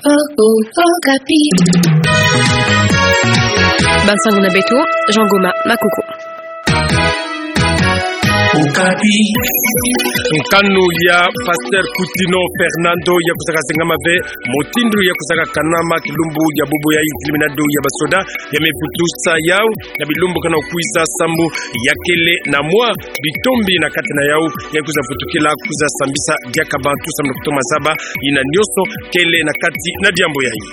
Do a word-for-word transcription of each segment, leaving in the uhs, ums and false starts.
Oh, oh, Okapi. Bansango na beto, Jean Goma Makoko. Okapi. Nkanu ya Pasteur Coutinho Fernando ya kwizaka zengama ve mutindu ya kwizaka kanama kilumbu ya bubu yayi, ntilimina do ya basoda ya me vutusa yau na bilumbu ke na kwiza, sambu ya kele na mwa bitombi na kati na yau, ya kwiza vutukila kwiza sambisa diaka bantu, sambu na kutoma zaba yina nyonso kele na kati na diambu yayi.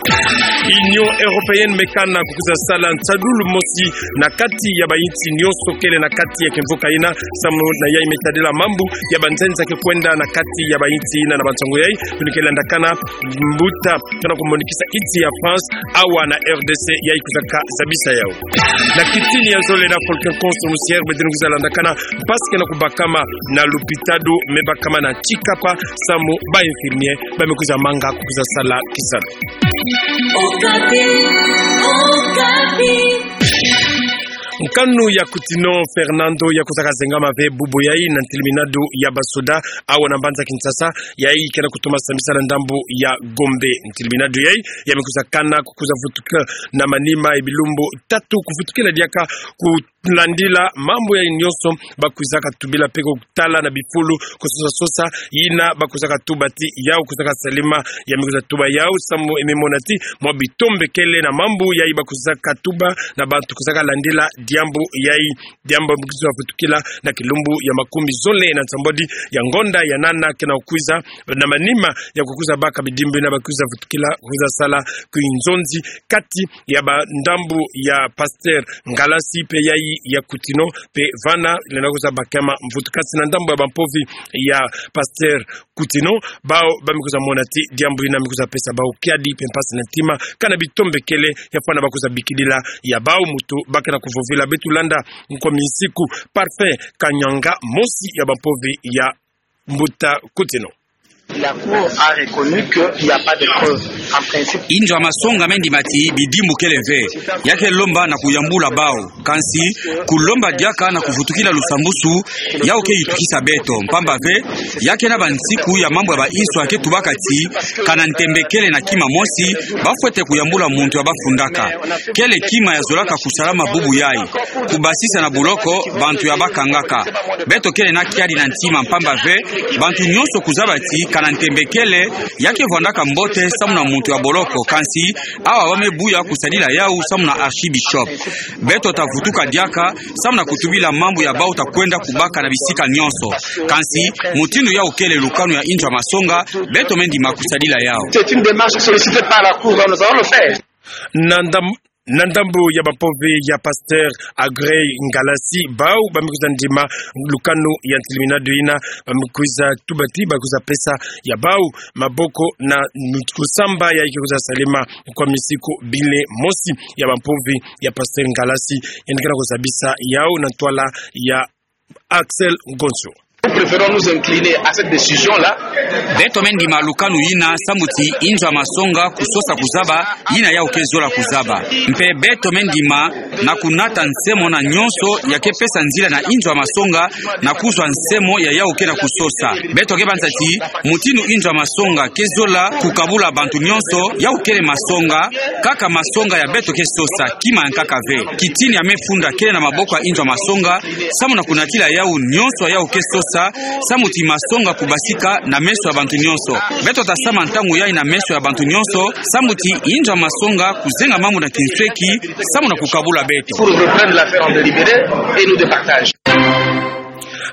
Union Européenne me kana kwiza sala nsadulu mosi na kati ya bayinsi nyonso kele na kati ya kimvuka yina, sambu na yayi me tadila mambu ya banzenza ke kwenda na kati ya bayinsi yina na bansangu yayi, kuni ke landakana mbuta ke na kumonikisa insi ya France, awa na R D C yayi kwizaka zabisa yau. Na kitini ya zole na Volcan Construction, beto ni kwiza landakana mpasi ke na kubakama na lupitalu, me bakama na tsikapa, sambu ba infirmier ba me kwiza manga kwiza sala kisalu. Okapi, Okapi. Nkanu ya Coutinho Fernando ya kwizaka zengama ve bubu yayi na ntilimina do ya basoda awa na mbanza Kinshasa, yayi ke na kutoma sambisa na ndambu ya Gombe. Ntilimina do yayi ya me kwiza kana kwiza vutuka na manima ya bilumbu tatu kuvutukila diaka kulandila mambu yayi nyonso ba kwizaka tubila mpe kutala na bifulu kusosa sosa yina ba kwizaka tuba ti yau kwizaka salama. Ya me kwiza tuba yau sambu ya me mona ti mwa bitombi kele na mambu yayi ba kwizaka tuba na bantu kwizaka landila diambu yayi. Diambu ya me kwiza vutukila na kilumbu ya makumi zole na nsambwadi ya ngonda ya nana ke na kwiza, na manima ya kukwiza baka bidimbu yina ba kwiza vutukila kwiza sala kinzonzi kati ya bandambu ya Pasteur Ngalassi mpe yayi ya Coutinho, mpe vana lenda kwiza bakama mvutukasi na ndambu ya bampovi ya Pasteur Coutinho, bau ba me kwiza mona ti diambu yina me kwiza pesa bau kiadi mpe mpasi na ntima, kana bitombi kele ya fwana ba kwiza bikidila ya bau mutu ba ke na kuvovila. Beto landa nkomi nsiku Parfait Kanyanga, mosi ya bampovi ya mbuta Coutinho. La Cour a reconnu qu'il n'y a pas de preuve, en principe. Inzo ya masonga me ndima ti bidimbu kele ve. Ya ke lomba na kuyambula bau. Kansi, kulomba diaka na kuvutukila lusambusu, yau ke yitukisa beto. Mpamba ve, ya ke na bansiku ya mambu ya bainso ya ke tubaka ti, kana ntembe kele na kima mosi, ba fwete kuyambula muntu ya ba fundaka. Kele kima ya zolaka kusalama bubu yayi. Kubasisa na boloko bantu ya ba kangaka. Beto kele na kiadi na ntima mpamba ve, bantu nyonso kuzaba ti kana ntembe kele, ya ke vwandaka mbote samu na muntu ya boloko, kansi awa ba me buya kusadila yau samu na archibishop. Beto ta vutuka diaka samu na kutubila mambu ya bau ta kwenda kubaka na bisika nyonso. Kansi, mutindu yau kele lukanu ya inzo ya masonga, beto me ndima kusadila yau. C'est une démarche sollicitée par la Cour, donc nous allons le faire. Na ndam-, na ndambu ya bampovi ya Pasteur Agrey Ngalassi, bau ba me kwiza ndima lukanu ya ntilimina do yina, ba me kwiza tuba ti ba kwiza pesa ya bau maboko na kusamba yayi ke kwiza salama nkomi nsiku bile mosi ya bampovi ya Pasteur Ngalassi, yandi ke na kuzabisa yau na ntwala ya Axel Ngonso. Nous préférons nous incliner à cette décision-là. Beto me ndima lukanu yina samu ti inzo ya masonga kusosa kuzaba yina yau ke zola kuzaba. Mpe beto me ndima na kunata nsemo na nyonso ya ke pesa nzila na inzo ya masonga na kuzwa nsemo ya yau ke na kusosa. Beto ke banza ti, mutindu inzo ya masonga ke zola kukabula bantu nyonso, yau kele masonga, kaka masonga ya beto ke sosa, kima ya nkaka ve. Kitini ya me funda kele na maboko ya inzo ya masonga, samu na kunatila yau nyonso ya yau ke sosa, samu ti masonga kubasika na meso ya bantu nyonso. Beto ta sama ntangu yayi na meso ya bantu nyonso, samu ti inzo ya masonga kuzenga mambu na kinsweki, samu na kukabula beto. Pour reprendre l'affaire en délibéré et nous départager.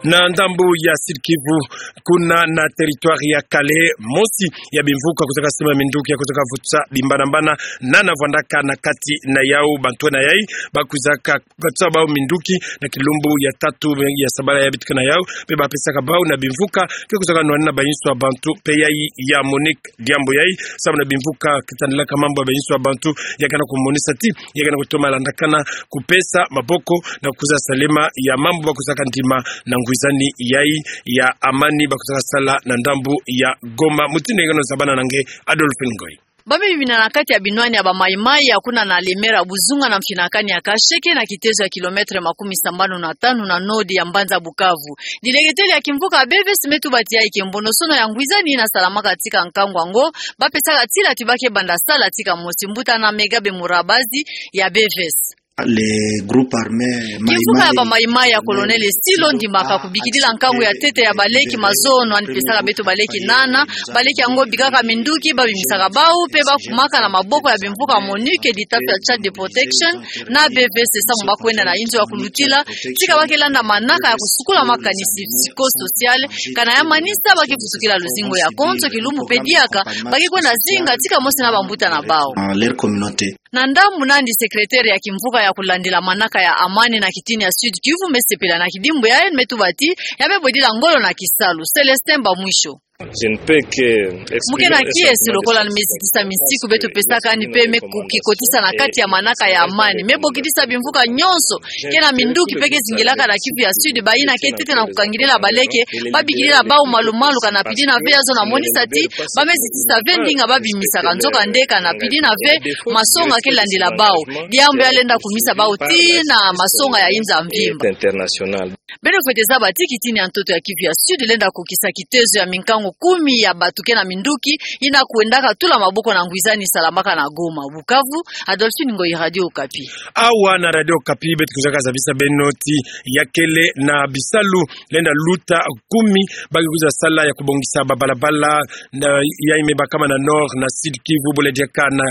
Na ndambu ya Sud-Kivu, kuna na territoire ya Kalehe, mosi ya bimvuka kwizaka sima minduki ya kwizaka vutsa bimbanambana, nana vwandaka na kati na yau. Bantu na yayi ba kwizaka katsa bau minduki na kilumbu ya tatu ya sabala ya bitika na yau, mpe ba pesaka bau na bimvuka ke kwizaka nwana na bayinso ya bantu, mpe yayi ya Monique diambu yayi, samu na bimvuka ke tandilaka mambu ya bayinso ya bantu, ya ke na kumonisa ti ya ke na kutoma landakana kupesa maboko na kwiza salama ya mambu ba kwizaka ndima na ngwizani yayi ya amani ba kwizaka sala na ndambu ya Goma. Mutindu ya ke na kusabana na nge, Adolphe Ngoyi. Ba me bimina na kati ya binwani ya ba Maï-Maï ya kuna na Lemera Buzunga na mfinakani ya Kasheke na kitezo ya kilomètre makumi sambanu na tanu na nord ya mbanza Bukavu. Dileketele ya kimvuka ya B V S me tuba ti ya ikembonosono ya ngwizani ina salamaka tika nkangu yango, ba pesaka tila ti ba ke banda sala tika mosi. Mbuta na Megabe Murabazi ya B V S. Les groupes armés Kimvuka ya ba Maï-Maï ya Colonel Silo ndimaka kubikidila nkangu ya ntete ya baleki mazono, yandi pesaka beto baleki nana. Baleki yango bikaka minduki, ba bimisaka bawu, mpe ba kumaka na maboko ya bimvuka MONUC, dita ya Child Protection na B V S samu ba kwenda na inzo ya kulutila, tika ba ke landa manaka ya kusukula makanisi psychosocial, kana ya manisa ba ke futukila luzingu ya konso, kilumbu mpe diaka ba ke kwenda zinga tika mosi na bambuta na bawu. Dans leur communauté. Na ndambu nandi, secrétaire ya kimvuka ya kulandila manaka ya amani na kitini ya Sud-Kivu me sepela na kidimbu yayi, me tuba ti ya me bwedila ngolo na kisalu. Célestin Bamwisho. Je ne peux que exprimer. Mu ke na kiese lokola ni me zitisa minsiku beto pesaka yandi mpe me kukikotisa na kati ya manaka ya amani. Me bokidisa bimvuka nyonso ke na minduki mpe ke zingilaka na Kivu ya Sud, bayina ke ntete na kukangidila baleke, ba bikidila bawu malumalu, kana pidi na ve ya zona monisa ti ba me zitisa ve ndinga ba bimisaka, nzokande kana pidi na ve masonga ke landila bawu. Diambu ya lenda kumisa bawu tii na masonga ya inza mvimba. International. Beno fwete zaba ti kitini ya ntoto ya Kivu ya Sud lenda kukisa kitezo ya minkangu kumi ya bato ke na minduki yina kwendaka tula maboko na ngwizani salamaka na Goma. Bukavu, Adolphine Ngoyi, Radio Okapi. Awa na Radio Okapi, beto kwiza kazabisa beno ti ya kele na bisalu lenda luta kumi ba ke kwiza sala ya kubongisa babalabala na, yayi me bakama na Nord na Sud-Kivu, bole diaka na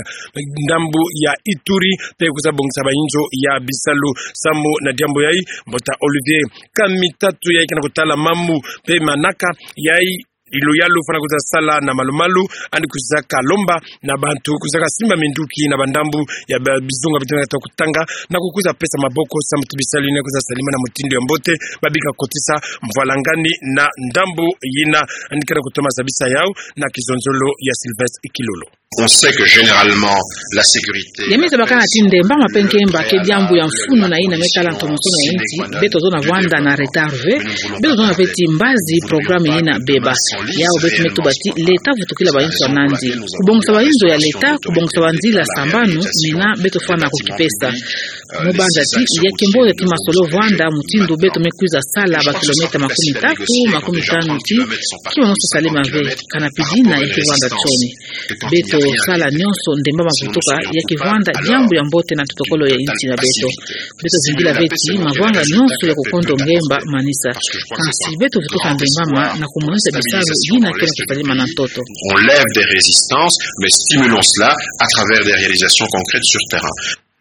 ndambu ya Ituri, mpe kwiza bongisa bainzo ya bisalu. Samu na diambu yayi, mbuta Olivier Kamitatu, yayi ke na kutala mambu mpe manaka, yayi iluyalu fwana kwiza sala na malumalu, yandi kwiza kalomba na bantu kwiza kasimba minduki na bandambu ya ba-, bizunga bituna ta kutanga, na kukwiza pesa maboko samu ti bisalu yina kwiza salimana na mutindu ya mbote, ba bika kotisa mvwalangani na ndambu yina. Yandi ke na kutoma zabisa yawu na kizonzolo ya Sylvestre Ikilolo. On sait que généralement, la sécurité. Ya me zabakana ti ndembama mpe nkemba ke diambu ya mfunu na yina me tala ntomosono ya nsi. Beto tozona vwanda na retard ve. Beto tozona ve ti mbazi programme yina beba. Yawu beto me tuba ti leta vutukila bainzo ya nandi. Kubongisa bainzo ya leta, kubongisa banzila sambanu, mina beto fwana kukipesa. Mu banza ti ya ke mbote ti masolo vwanda mutindu beto me kwiza sala ba kilomètre makumi tatu, makumi tanu ti kima mosi Salima ve, kana pidi na ya ke vwanda nsoni. Beto sala nyonso ndembama vutuka, ya ke vwanda diambu ya mbote na totokolo ya nsi na beto. Beto zingila ve ti mavanga nyonso ya kukondo ngemba manisa. Kansi beto vutuka ndembama na kumonisa bisalu yina ke na kusalimana na ntoto. On lève des résistances, mais stimulons cela à travers des réalisations concrètes sur terrain.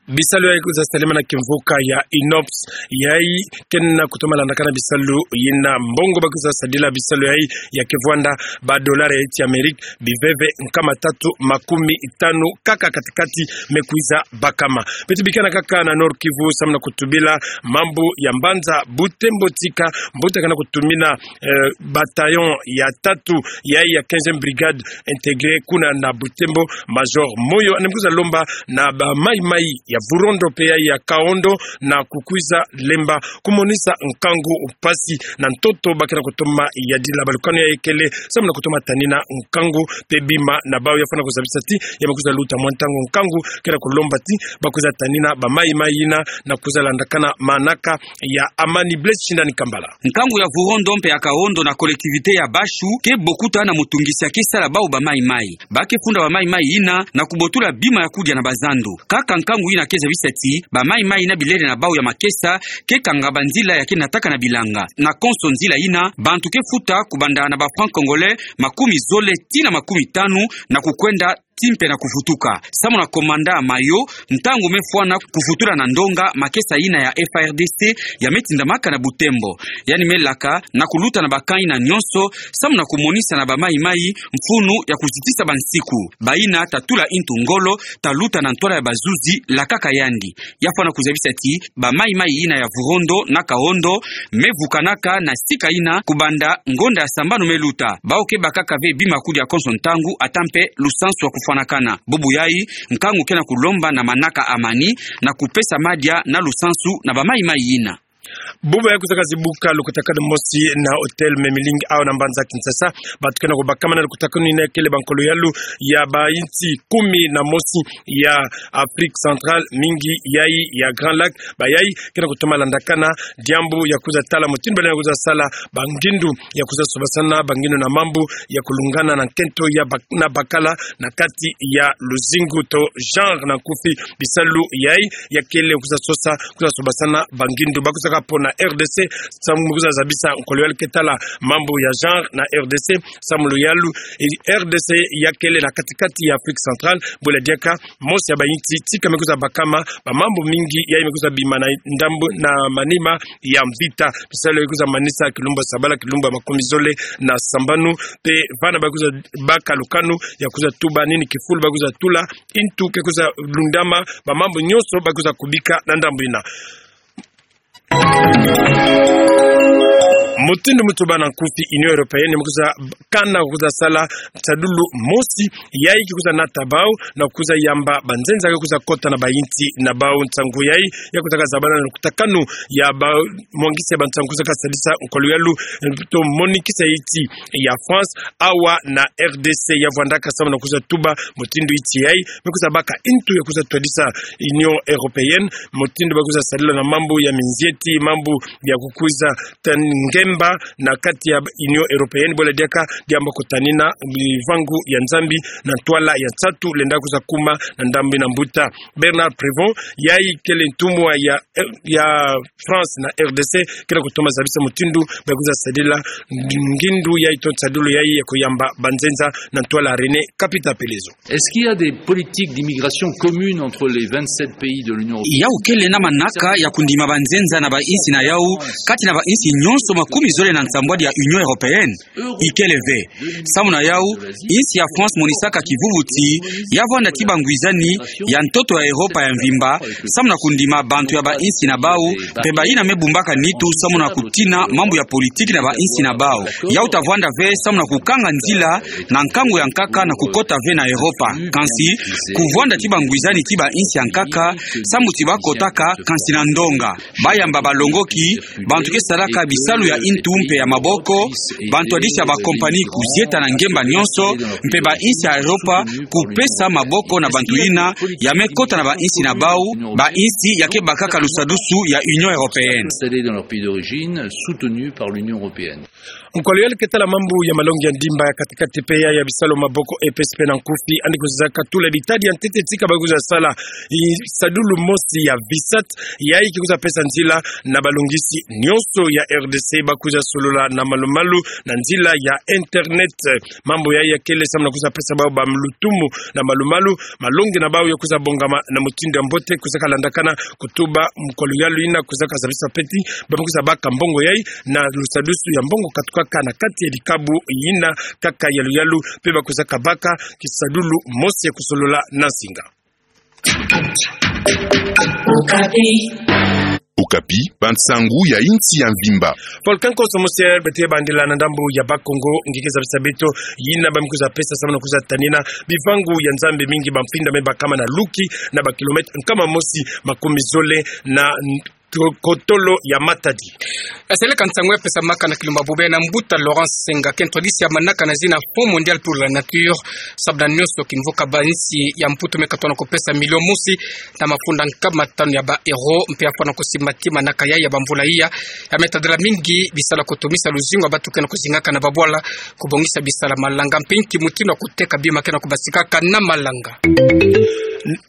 Bisalu yayi kwiza salimana na kimvuka ya INOPS, yayi ke na kutoma landakana bisalu yina mbongo ba kwiza sadila bisalu yayi ya ke vwanda ba dollars ya nsi ya Amérique biveve nkama tatu makumi tanu kaka katikati me kwiza bakama. Beto bikana kaka na Nord-Kivu samu na kutubila mambu ya mbanza Butembo tika mbuta ke na kutumina, eh, bataillon ya tatu yayi ya quinzième brigade intégrée kuna na Butembo, Major Moyo, yandi me kwiza lomba na ba Maï-Maï ya Vurondo mpe yayi ya Kaondo na kukwiza lemba kumonisa nkangu, mpasi na ntoto ba ke na kutoma yadila. Balukanu yayi kele samu na kutoma tanina nkangu mpe bima na bawu. Ya fwana kuzabisa ti ya me kwiza luta mwa ntangu nkangu, ke na kulomba ti ba kwiza tanina ba Maï-Maï yina na kwiza landakana manaka ya amani. Blaise Shindani Kambala. Nkangu ya Vurondo mpe ya Kaondo na collectivité ya Bashu ke bokuta na mutungisi ya ke sala bawu ba Maï-Maï. Ba ke funda ba Maï-Maï yina na kubotula bima ya kudia na bazando. Kaka nkangu yina ke zabisa ti ba Maï-Maï na bilele na bawu ya makesa ke kanga banzila ya ke nataka na bilanga. Na konso nzila yina, bantu ke futa kubanda na ba francs congolais makumi zole tii na makumi tanu na kukwenda tii mpe na kuvutuka. Samu na commandant Mayo, ntangu me fwana kuvutula na ndonga makesa yina ya F A R D C ya me tindamaka na Butembo. Yandi me laka na kuluta na ba camp yina nyonso, samu na kumonisa na ba Maï-Maï mfunu ya kuzitisa bansiku. Bayina ta tula intu ngolo, ta luta na ntwala ya bazuzi, lakaka yandi. Ya fwana kuzabisa ti ba Maï-Maï yina ya Vurondo na Kaondo me vukanaka na sika yina kubanda ngonda ya sambanu me luta. Bawu ke bakaka ve bima ya kudia konso ntangu, ata mpe lusansu ya kufwanakana. Bubu yayi, nkangu ke na kulomba na manaka amani na kupesa madia na lusansu na ba Maï-Maï yina. Buba ya kuzaka zibuka lukutakanu mosi na hôtel Memling awa na mbanza Kinshasa. Bato ke na kubakamana lukutakanu yina kele bankolo yalu ya bainsi kumi na mosi ya Afrique centrale, mingi yai ya Grand Lac. Bayai ke na kutoma landakana diambu ya kuza tala mutindu balendi kuza sala bangindu ya kuza sobasana bangindu na mambu ya kulungana na nkento ya bak-, na bakala na kati ya luzingu to genre na nkufi. Bisalu yai ya kele kuza sosa, kuza sobasana bangindu. Ba kuzaka pona R D C samu kuza zabisa nkolo yalu ke tala mambu ya genre na R D C, samu lo yalu, e, R D C ya kele na kati-kati ya Afrique centrale, bwela diaka mosi ya bainsi tika me kuza bakama bamambu mingi yai me kuza bima na ndambu na manima ya mvita. Bisalu yai kuza manisa kilumbu ya sabala, kilumbu ya makumi zole na sambanu, mpe vana ba kuza baka lukanu ya kuza tuba nini kifulu ba kuza tula, intu ke kuza lundama, bamambu nyonso ba kuza kubika na ndambu yina. Mutindu mutoba na nkufi, Union Européenne me kuza kana kuza sala nsadulu mosi yai ke kuza nata bau na kuza yamba banzenza ke kuza kota na bainsi na bau. Nsangu yai ya kuzaka zabana na lukutakanu ya bamwangisi ya bansangu kuzaka sadisa nkolo yalu, to monikisa insi ya France awa na R D C. Ya vwandaka samu na kuza tuba mutindu insi yai me kuza baka intu ya kuza twadisa Union Européenne, mutindu ba kuza sadila na mambu ya minzieti, mambu ya kukuza tani ngemba na kati ya Union Européenne, bwela diaka diambu kutanina bivangu ya Nzambi na ntwala ya nsatu lenda kuza kuma na ndambu na mbuta. Bernard Prévont, yai kele ntumwa ya, ya France na R D C, ke na kutoma zabisa mutindu ba kuza sadila ngindu yai to nsadulu yai ya kuyamba banzenza na ntwala. René Kapita Pelezo. Est-ce qu'il y a des politiques d'immigration communes entre les vingt-sept pays de l'Union européenne ? Yau kele na manaka ya kundima banzenza na bainsi na yau kati na bainsi nyonso makumi zole na nsambwadi ya Union Européenne? Ikele ve. Samu na yau, insi ya France monisaka kivuvuti ya vwanda ti bangwizani ya ntoto ya Europa ya mvimba, samu na kundima bantu ya bainsi na bau, mpe bayina me bumbaka nitu samu na kutina mambu ya politiki na bainsi na bau. Yau ta vwanda ve samu na kukanga nzila na nkangu ya nkaka na kukota ve na Europa. Kansi, kuvwanda ti bangwizani ti bainsi ya nkaka, samu ti bakotaka, kansi na ndonga. Bayamba balongoki bantu ke salaka bisalu ya intu mpe ya maboko, bantu ya disi ya bakompani kuzieta na ngemba nyonso, mpe bainsi ya Europa kupesa maboko na bantu yina ya me kota na bainsi na bau, bainsi ya ke bakaka lusadusu ya Union Européenne. Installés dans leur pays d'origine, soutenus par l'Union européenne. Nkolo yalu ke tala mambu ya malongi ya ndimba ya kati-kati mpe ya, ya bisalu maboko, E P S P na nkufi, yandi kuzaka tula bitadi ya ntete tika ba kuza sala nsadulu mosi ya VISAT, yai ke kuza pesa nzila na balongisi nyonso ya R D C ba kuza solola na malu-malu na nzila ya internet. Mambu yai ya kele samu na kuza pesa bau bamlutumu na malu-malu, malongi na bau ya kuza bongama na mutindu ya mbote, kuzaka landakana kutuba nkolo yalu yina kuzaka zabisa peti ba kuza baka mbongo yai na lusadusu ya mbongo katukaka na kati ya dikabu yina kaka ya luyalu, mpe ba kuzaka baka kisadulu mosi ya kusolola na nsinga. Okapi. Okapi, bansangu ya insi ya mvimba. Volcan Cosmocel, beto ke bandila na ndambu ya Bas-Congo, nge ke zabisa beto yina ba me kuza pesa samu na kuza tanina bivangu ya Nzambi mingi, bamfinda me bakama na Luki, na bakilometre nkama mosi makumi zole na ko-, kotolo ya Matadi. Seleka nsangu ya pesamaka na kilumbu bubu na mbuta Laurence Senga, kento disi ya manaka na zina Fonds Mondial pour la Nature, sababu na nyonso kimvuka, bainsi ya Mputu me katono kupesa milio mosi na mafunda nkama tanu ya ba euro, mpe ya fwana kusimba ti manaka yai ya bamvula iya, ya me tadila mingi bisalu ya kutumisa luzingu ya bato ke na kuzingaka na babwala, kubongisa bisalu ya malanga, mpe nki mutindu ya kuteka bima ke na kubasikaka na malanga.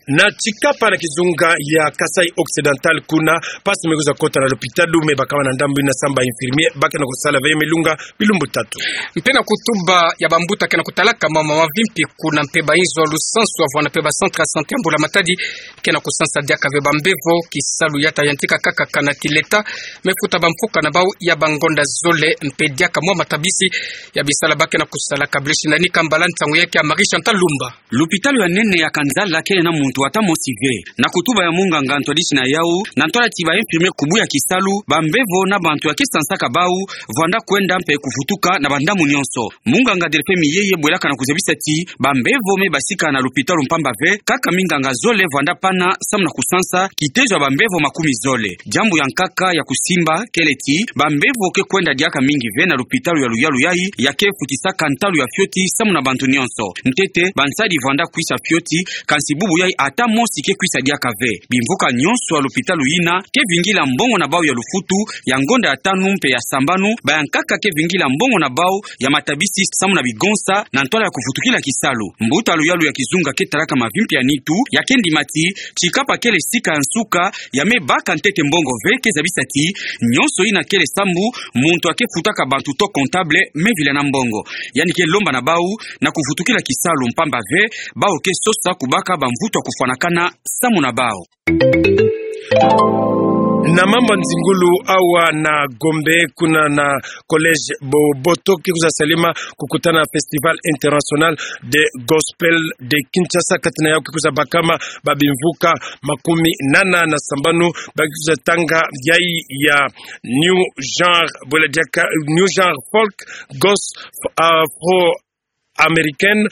Na Tshikapa na kizunga ya Kasaï Occidental, kuna mpasi me kuza kota na lopitalo, me bakama na ndambu yina samu ba infirmier ba ke na kusala ve, me lunga bilumbu tatu. Mpe na kutuba ya bambuta ke na kutalaka mama mavimpi kuna, mpe bainzo ya lusansu ya vwanda mpe ba centre ya santé ya Mbula Matadi ke na kusansa diaka ve bambevo, kisalu ya ta yantika kaka kana ti l'État me futa bamfuka na bau ya bangonda zole, mpe diaka mwa matabisi ya bisalu ba ke na kusala. Kablesi na ni kambala, nsangu yai ke ya Marie Chantal Lumba. Lopitalo ya nene ya Kanzala kele muntu ata mosi ve. Na kutuba ya munganga ntwadisi na yau, na ntwala ti ba infirmier kubu ya kisalu, bambevo na bantu ya ke sansaka bau vwanda kwenda mpe kuvutuka na bandambu nyonso. Munganga Delphin Miyeye bwelaka na kuzabisa ti bambevo me basika na lupitalu mpamba ve, kaka minganga zole vwanda pana samu na kusansa kitezo ya bambevo makumi zole. Diambu ya nkaka ya kusimba kele ti bambevo ke kwenda diaka mingi ve na lupitalu ya luyalu yai, ya ke futisaka ntalu ya fioti samu na bantu nyonso. Ntete, bansadi vwanda kwisa fioti, kansi bubu yai ata mosi ke kwisa diaka ve. Bimvuka nyonso ya lupitalu yina ke vingila mbongo na bau ya lufutu ya ngonda ya tanu mpe ya sambanu, ba ya nkaka ke vingila mbongo na bau ya matabisi samu na bigonsa na ntwala ya kuvutukila kisalu. Mbuta luyalu ya kizunga ke talaka mavimpi ya nitu, ya ke ndima ti, tikapa kele sika ya nsuka ya me baka ntete mbongo ve, ke zabisa ti, nyonso yina kele sambu, muntu ya ke futaka bantu to comptable me vila na mbongo. Yandi ke lomba na bau na kuvutukila kisalu mpamba ve, bau ke sosa kubaka bamvutu ya kufwanakana samu na bau. Na mambu ya nzingulu awa na Gombe, kuna na collège Boboto, ke kwiza salama kukutana festival international de gospel de Kinshasa, kati na yau ke kwiza bakama babimvuka makumi nana na sambanu, ba ke kwiza tanga yai ya new genre, bwela diaka new genre folk, gospel, afro-américaine,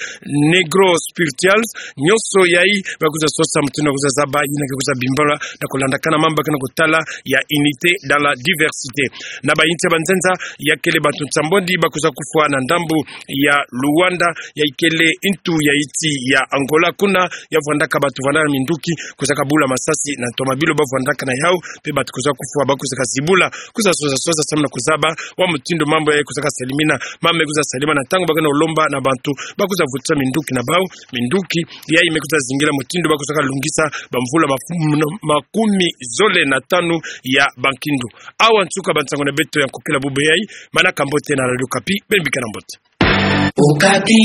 negro spirituals, nyonso yai ba kwiza sosa mutindu ba kwiza zaba yina ke kwiza bimbala na kulandakana mambu ke na kutala ya unité dans la diversité. Na bayinti ya banzenza ya kele bantu nsambwadi ba kwiza kufwa na ndambu ya Luanda, ya ikele ntu ya insi ya Angola, kuna ya vwandaka bantu vwanda na minduki, kwizaka bula masasi na ntoma bilu ba vwandaka na yau, mpe bantu kwiza kufwa, ba kwizaka zibula, kwiza sosa sosa samu na kuzaba wa mutindu mambu yai kwizaka salimina. Mambu me kwiza salama na ntangu ba ke na lomba na bantu ba kwiza vutisa minduki na bau, minduki yai me kwiza zingila mutindu ba kwizaka lungisa bamvula mafu-, makumi zole na tanu ya bankindu. Awa nsuka bansangu na beto ya nkokila bubu yai, manaka mbote na Radio Okapi, beno bikana mbote. Okapi.